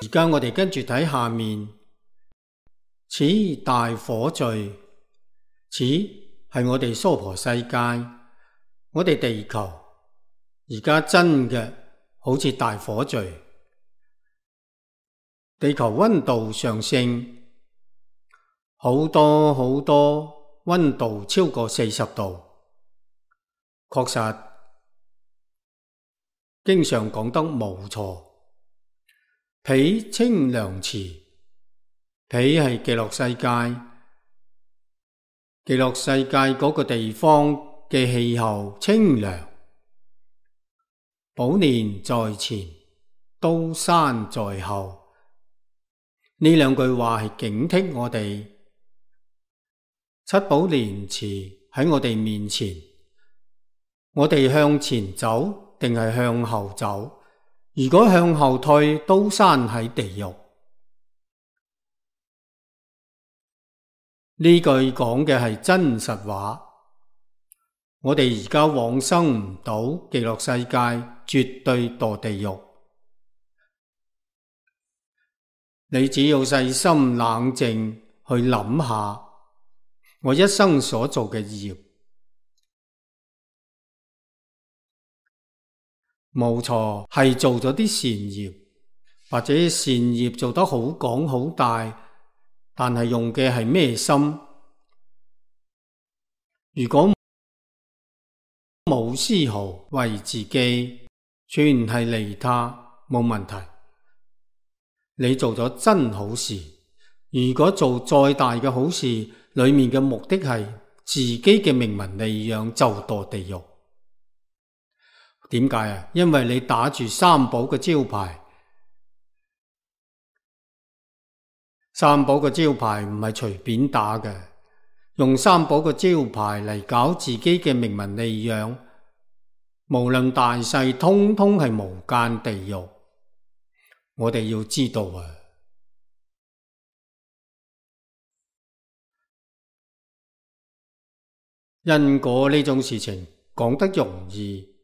家我哋跟住睇下面，此大火聚，此係我哋娑婆世界，我哋地球而家真嘅好似大火聚，地球溫度上升，好多溫度超過40度，確實經常講得冇錯。彼清涼池，彼係極樂世界，極樂世界嗰個地方嘅氣候清涼，寶蓮在前，刀山在後。呢兩句話係警惕我哋，七寶蓮池喺我哋面前，我哋向前走定係向後走？如果向後退，刀山喺地獄。呢句講嘅係真實話。我哋而家往生唔到極樂世界，絕對墮地獄。你只要細心冷靜去諗下，我一生所做嘅業，冇錯，係做咗啲善業，或者善業做得好廣好大，但係用嘅係咩心？如果冇絲毫為自己，全係利他，冇問題。你做咗真好事。如果做再大嘅好事，裏面嘅目的係自己嘅名聞利養，就墮地獄。點解啊？因為你打住三寶嘅招牌，三寶嘅招牌唔係隨便打嘅，用三寶嘅招牌嚟搞自己嘅名聞利養，無論大細，通通係無間地獄。我哋要知道啊，因果呢種事情講得容易，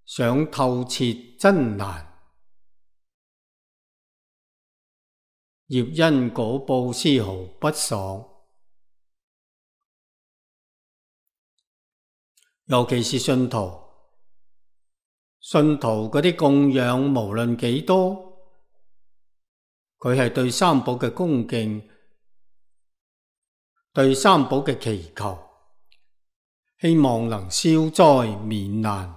想透徹真難。業因果報絲毫不爽，尤其是信徒嗰啲供養，無論幾多，佢係對三寶嘅恭敬，對三寶嘅祈求，希望能消災免難。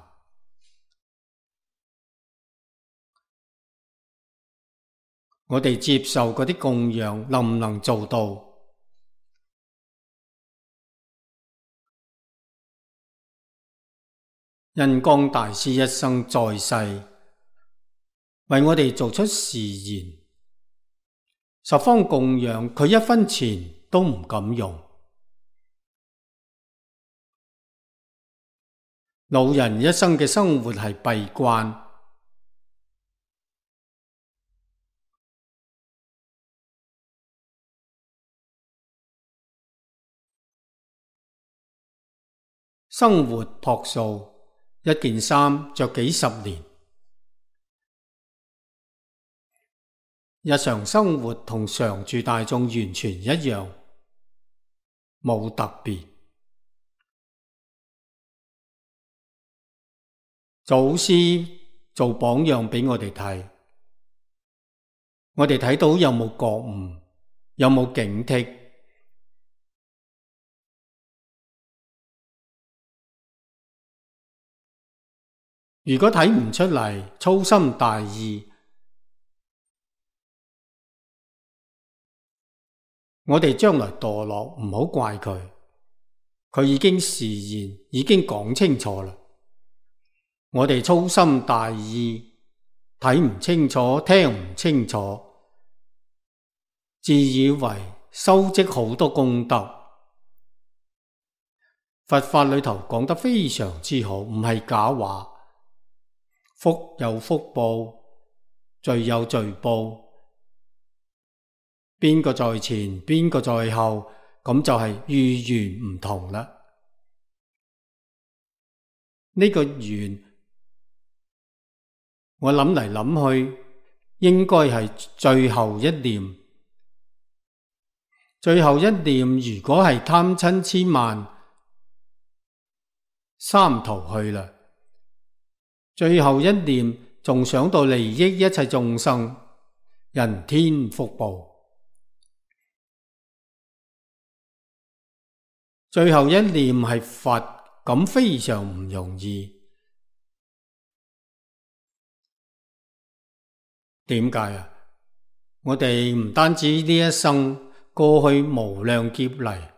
我哋接受嗰啲供養，能唔能做到？印光大師一生在世，為我哋做出誓言，十方供養，佢一分錢都唔敢用。老人一生嘅生活係閉關，生活樸素，一件衫着幾十年，日常生活同常住大眾完全一樣，冇特別。祖師做榜樣俾我哋睇，我哋睇到有冇覺悟，有冇警惕。如果睇唔出嚟，粗心大意，我哋將來墮落，唔好怪佢，佢已經示現，已經講清楚啦。我哋粗心大意，睇唔清楚，聽唔清楚，自以為收積好多功德。佛法裏頭講得非常之好，唔係假話。福有福報，罪有罪報，邊個在前，邊個在後，咁就係遇緣唔同啦。呢個緣，我諗嚟諗去，應該係最後一念。最後一念如果係貪嗔癡慢三途去啦，最後一念仲想到利益一切眾生，人天福報。最後一念係佛，咁非常唔容易。點解啊？我哋唔單止呢一生過去無量劫嚟，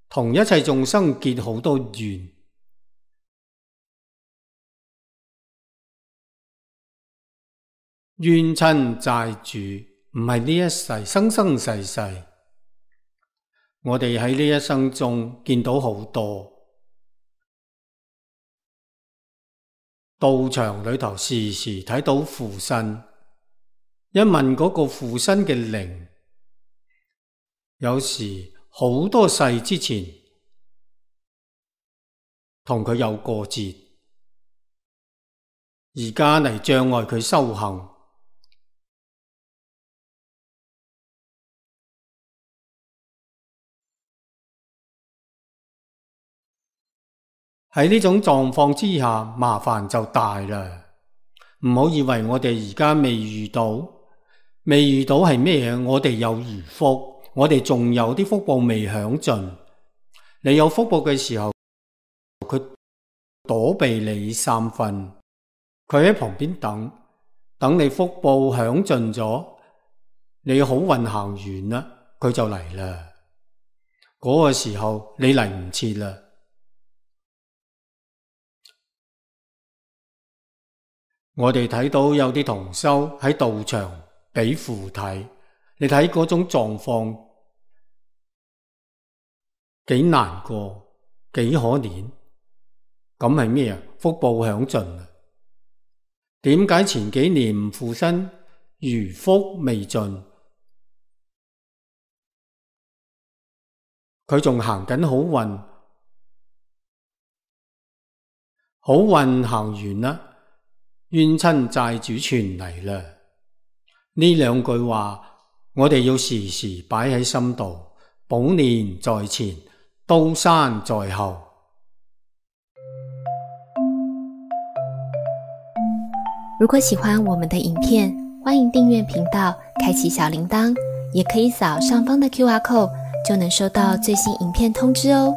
同一切眾生結好多緣，冤親債主唔係呢一世，生生世世。我哋喺呢一生中見到好多道場裏頭，時時睇到附身。一問嗰個附身嘅靈，有時好多世之前同佢有過節，而家嚟障礙佢修行。喺呢種狀況之下，麻煩就大啦。唔好以為我哋而家未遇到係咩嘢？我哋有餘福，我哋仲有啲福報未享盡。你有福報嘅時候，佢躲避你三分，佢喺旁邊等你福報享盡咗，你好運行完啦，佢就嚟啦。嗰個時候你嚟唔切啦。我哋睇到有啲同修喺道場俾符睇，你睇嗰種狀況幾難過，幾可憐。咁係咩啊？福報享盡啦。點解前幾年唔附身？餘福未盡，佢仲行緊好運，好運行完啦。冤親債主全嚟啦！呢兩句話，我哋要時時擺喺心度，寶蓮在前，刀山在後。如果喜歡我們的影片，歡迎訂閱頻道，開啟小鈴鐺，也可以掃上方的QR code，就能收到最新影片通知哦。